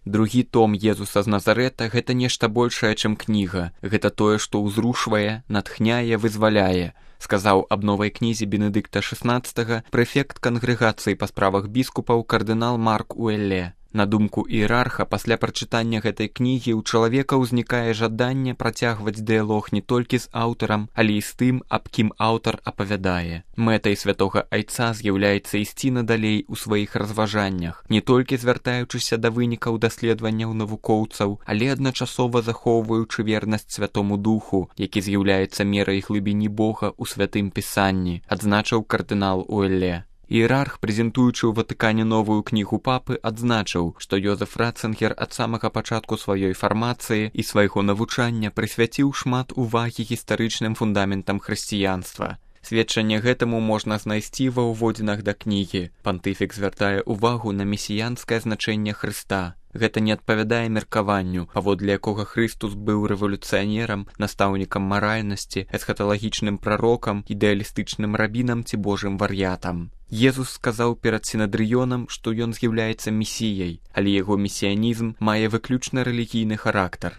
Другі том Езуса з Назарэта – гэта нешта большае, чым кніга. Гэта тое, што ўзрушвае, натхняе, вызваляе, сказаў аб новай кнізе Бенедыкта XVI прэфект кангрэгацыі па справах біскупаў кардынал Марк Уэлле. На думку іерарха, пасля прачытання гэтай кнігі ў чалавека ўзнікае жаданне працягваць дыялог не толькі з аўтарам, але і з тым, аб кім аўтар апавядае. Мэтай святога айца з'яўляецца ісці надалей у сваіх разважаннях, не толькі звяртаючыся да вынікаў даследаванняў навукоўцаў, але адначасова захоўваючы вернасць святому духу, які з'яўляецца мерай глыбіні Бога ў святым пісанні, адзначыў кардынал Уэлле. Іерарх, прэзентуючы ў Ватыкане новую кнігу папы, адзначыў, што Йозеф Ратцынгер ад самага пачатку сваёй фармацыі і свайго навучання прысвяціў шмат увагі гістарычным фундаментам хрысціянства. Сведчанне гэтаму можна знайсці ва ўводзінах да кнігі. Пантыфік звяртае ўвагу на месіянскае значэнне Хрыста. Гэта не адпавядае меркаванню, паводле якога Хрыстус быў рэвалюцыянерам, настаўнікам маральнасці, эсхаталагічным прарокам, ідэалістычным рабінам ці божым вар'ятам. Езус сказаў перад сінадрыёнам, што ён з'яўляецца месіяй, але яго месіянізм мае выключна рэлігійны характар.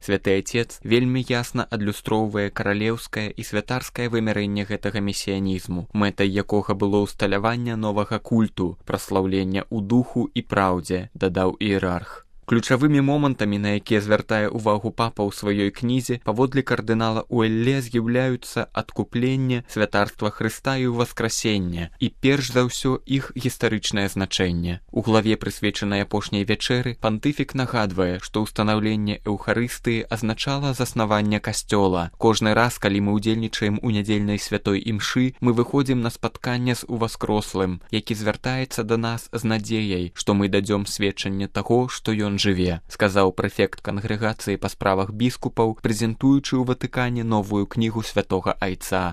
Святы Айцец вельмі ясна адлюстроўвае каралеўскае і святарскае вымярэнне гэтага месіянізму, мэтай якога было ўсталяванне новага культу, праслаўлення ў духу і праўдзе, дадаў іерарх. Ключавымі момантамі, на якія звяртае ўвагу папа ў сваёй кнізе, паводле кардынала Уэлле з'яўляюцца адкупленне, святарства Хрыста і ўваскрасенне, і перш за ўсё іх гістарычнае значэнне. У главе, прысвечанай апошняй вячэры, пантыфік нагадвае, што ўстанаўленне эўхарыстыі азначала заснаванне касцёла. Кожны раз, калі мы ўдзельнічаем у нядзельнай святой імшы, мы выходзім на спатканне з уваскрослым, які звяртаецца да нас з надзеяй, што мы дадзём сведчанне таго, што ён жыве, сказаў прэфект кангрэгацыі па справах біскупаў, прэзентуючы ў Ватыкане новую кнігу святога айца.